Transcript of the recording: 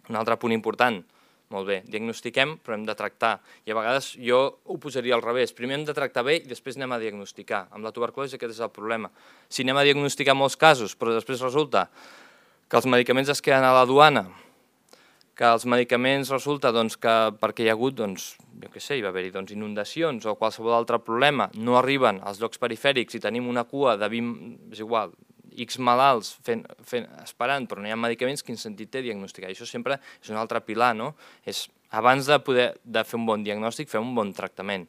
Un altre punt important, molt bé, diagnostiquem però hem de tractar, i a vegades jo ho posaria al revés, primer hem de tractar bé i després anem a diagnosticar. Amb la tuberculosi aquest és el problema. Si anem a diagnosticar molts casos però després resulta que els medicaments es queden a la duana, que els medicaments resulta que perquè hi ha hagut, jo què sé, hi va haver-hi inundacions o qualsevol altre problema, no arriben als llocs perifèrics i tenim una cua de 20, és igual, X malalts esperant, però no hi ha medicaments, quin sentit té diagnosticar? I això sempre és un altre pilar, no? És abans de fer un bon diagnòstic, fer un bon tractament.